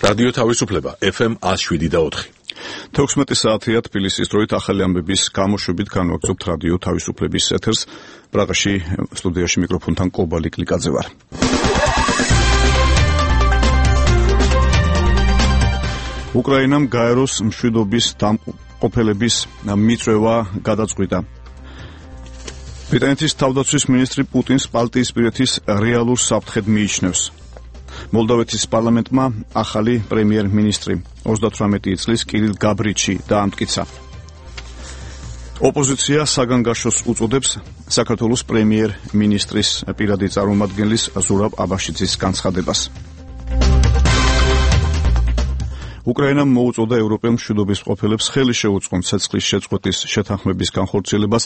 რადიო თავისუფლება FM 107.4. 16 საათია თბილისის დროით ახალი ამბების გამოშვებით განვაგრძობთ რადიო თავისუფლების ეთერს. პრაღაში სტუდიაში მიკროფონთან კობალი კლიკაძე ვარ. უკრაინამ გაეროს მშვიდობის დამყოფელების მიწვევა გადაწყვიტა. ბრიტანეთის თავდაცვის მინისტრი პუტინს ბალტიისპირეთის რეალურ საფრთხედ მიიჩნევს. მოლდოვეთის პარლამენტმა ახალი პრემიერ-მინისტრი 38 წლის კირილ გაბრიჩი დაამტკიცა. ოპოზიცია საგანგაშოს უწოდებს საქართველოს პრემიერ-მინისტრის პირადი წარმომადგენლის ზურაბ აბაშიძის განცხადებას. უკრაინამ მოუწოდა ევროპელ მშვიდობის მყოფელებს ხელი შეუწყონ ცეცხლის შეწყვეტის შეთანხმების განხორციელებას.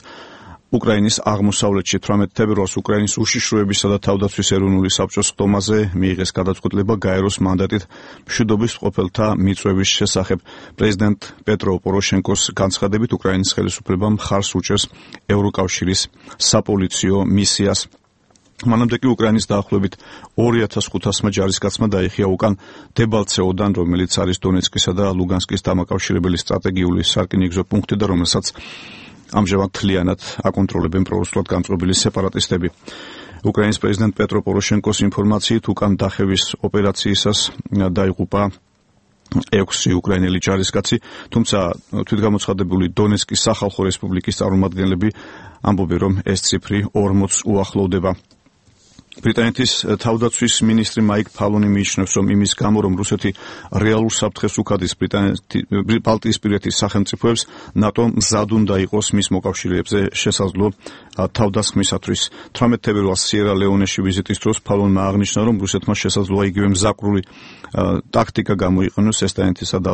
უკრაინის აღმოსავლეთში 18 თებერვალს უკრაინის უშიშროებისა და თავდაცვის ეროვნული საბჭოს ხდომაზე მიიღეს გადაწყვეტილება გაეროს მანდატით მშვიდობის მყოფელთა მიწვევის შესახებ. პრეზიდენტ პეტრო პოროშენკოს განცხადებით უკრაინის ხელისუფლებამ მხარს უჭერს ევროკავშირის საპოლიციო მისიას. მანამდე კი უკრაინის დაახლოებით 2500-მა ჯარისკაცმა დაიხია უკან დებალცეოდან, რომელიც არის დონეცკისა და ლუგანსკის დამაკავშირებელი სტრატეგიული სარკინიგზო პუნქტი და რომელსაც ამჟამად თლიანად აკონტროლებენ პრორუსულად გამწყობილი სეპარატისტები. უკრაინის პრეზიდენტ პეტრო პოროშენკოს ინფორმაციით უკან დახევის ოპერაციისას დაიღუპა 6 უკრაინელი ჯარისკაცი, თუმცა თვითგამოცხადებული დონეცკის სახალხო რესპუბლიკის წარმომადგენლები ამბობენ, რომ ეს ციფრი 40-ს უახლოვდება. ბრიტანეთის თავდაცვის მინისტრი მაიკ ფალონი მიიჩნევს, რომ იმის გამო, რომ რუსეთი რეალურ საფრთხეს უქადის ბალტიისპირეთის სახელმწიფოებს, ნატო მზად უნდა იყოს მის მოკავშირეებზე შესაძლო თავდასხმისათვის. 18 თებერვალს სიერა-ლეონეში ვიზიტის დროს ფალონმა აღნიშნა, რომ რუსეთმა შესაძლოა იგივე მზაკრული ტაქტიკა გამოიყენოს ესტონეთისა და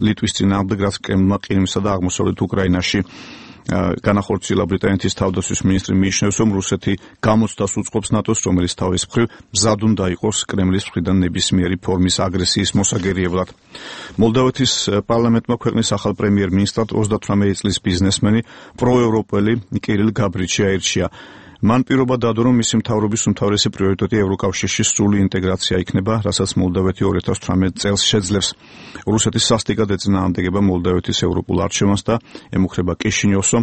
ლიტვის წინააღმდეგ, რაც კრემლმა ყირიმსა და აღმოსავლეთ უკრაინაში განახორციელა. ბრიტანეთის თავდაცვის მინისტრი მიიჩნევს, რომ რუსეთი გამოცდას უწყობს ნატოს, რომელიც თავის მხრივ მზად უნდა იყოს კრემლის მხრიდან ნებისმიერი ფორმის აგრესიის მოსაგერიებლად. მოლდოვეთის პარლამენტმა ქვეყნის ახალ პრემიერ-მინისტრად 38 წლის ბიზნესმენი პროევროპელი კირილ გაბრიჩი აირჩია. მან პირობა დადო, რომ მისი მთავრობის უმთავრესი პრიორიტეტი ევროკავშირში სრული ინტეგრაცია იქნება, რასაც მოლდოვეთი 2018 წელს შეძლებს. რუსეთის სასტიკად ეწინააღმდეგება მოლდოვეთის ევროპულ არჩევანს და ემუქრება კიშინიოვსო.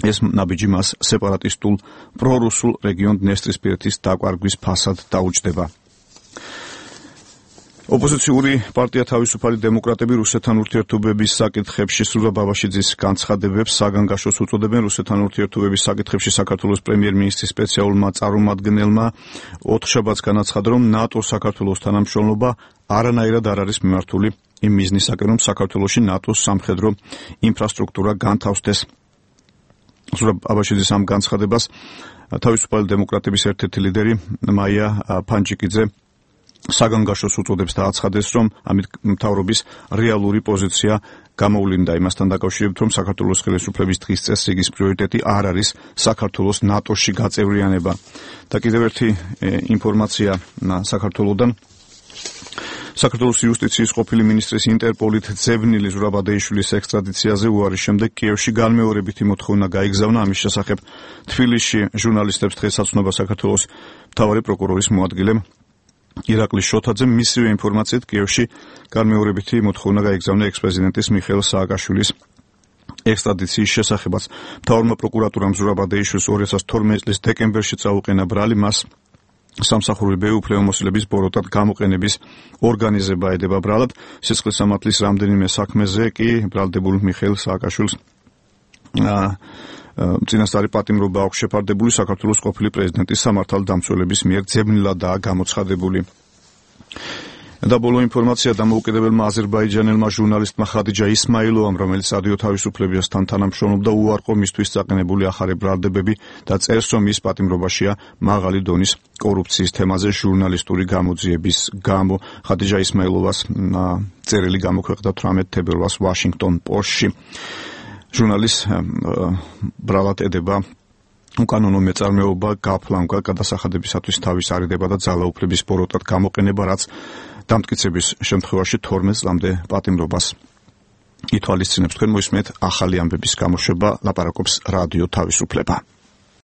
ეს ნაბიჯი მას სეპარატისტულ პრორუსულ რეგიონ დნესტრისპირეთის დაკვარგვის ფასად დაუჯდება. ოპოზიციური პარტია თავისუფალი დემოკრატები რუსეთთან ურთიერთობების საკითხებში ზურაბ აბაშიძის განცხადებებს საგანგაშოს უწოდებენ. რუსეთთან ურთიერთობების საკითხებში საქართველოს პრემიერ-მინისტრის სპეციალურმა წარმომადგენელმა ოთხშაბათს განაცხადა, რომ ნატოს საქართველოს თანამშრომლობა არანაირად არ არის მიმართული იმ მიზნისაკენ, რომ საქართველოში ნატოს სამხედრო ინფრასტრუქტურა განთავსდეს. ზურაბ აბაშიძის ამ განცხადებას თავისუფალი დემოკრატების ერთ-ერთი ლიდერი მაია ფანჯიკიძე საგანგაშოს უწოდებს და აცხადეს, რომ ამით მთავრობის რეალური პოზიცია გამოვლინდა იმასთან დაკავშირებით, რომ საქართველოს ხელისუფლების დღის წესრიგის პრიორიტეტი არ არის საქართველოს ნატოში გაწევრიანება. და კიდევ ერთი ინფორმაცია საქართველოდან. საქართველოს იუსტიციის ყოფილი მინისტრის ინტერპოლით ძებნილი ზურაბ ადეიშვილის ექსტრადიციაზე უარის შემდეგ კიევში განმეორებითი მოთხოვნა გაიგზავნა. ამის შესახებ თბილისში ჟურნალისტებს დღეს აცნობა საქართველოს მთავარი პროკურორის მოადგილემ ირაკლი შოთაძე. მისივე ინფორმაციით კიევში განმეორებითი მოთხოვნა გაიგზავნა ექს-პრეზიდენტის მიხეილ სააკაშვილის ექსტრადიციის შესახებაც. მთავარმა პროკურატურამ ზურაბ ადეიშვილს 2012 წლის დეკემბერში წაუყენა ბრალი, მას სამსახურებრივი უფლებამოსილების ბოროტად გამოყენების ორგანიზება ედება ბრალად. სისხლის სამართლის რამდენიმე საქმეზე კი ბრალდებულ მიხეილ სააკაშვილს წინასწარი პატიმრობა აქვს შეფარდებული. საქართველოს ყოფილი პრეზიდენტის სამართალდამცველების მიერ ძებნილადაა გამოცხადებული. და ბოლო ინფორმაცია დამოუკიდებელმა აზერბაიჯანელმა ჟურნალისტმა ხადიჯა ისმაილოვამ, რომელიც რადიო თავისუფლებასთან თანამშრომლობდა, უარყო მისთვის წაყენებული ახალი ბრალდებები და წერს, რომ ის პატიმრობაშია მაღალი დონის კორუფციის თემაზე ჟურნალისტური გამოძიების გამო. ხადიჯა ისმაილოვას წერილი გამოქვეყნდა 18 თებერვალს ვაშინგტონ პოსტში. ჟურნალისტს ბრალად ედება უკანონო მეწარმეობა, გაფლანგვა, გადასახადებისათვის თავის არიდება და ძალაუფლების ბოროტად გამოყენება, რაც დამტკიცების შემთხვევაში 12 წლამდე პატიმრობას ითვალისწინებს. თქვენ მოისმენთ ახალი ამბების გამოშვება, ლაპარაკობს რადიო თავისუფლება.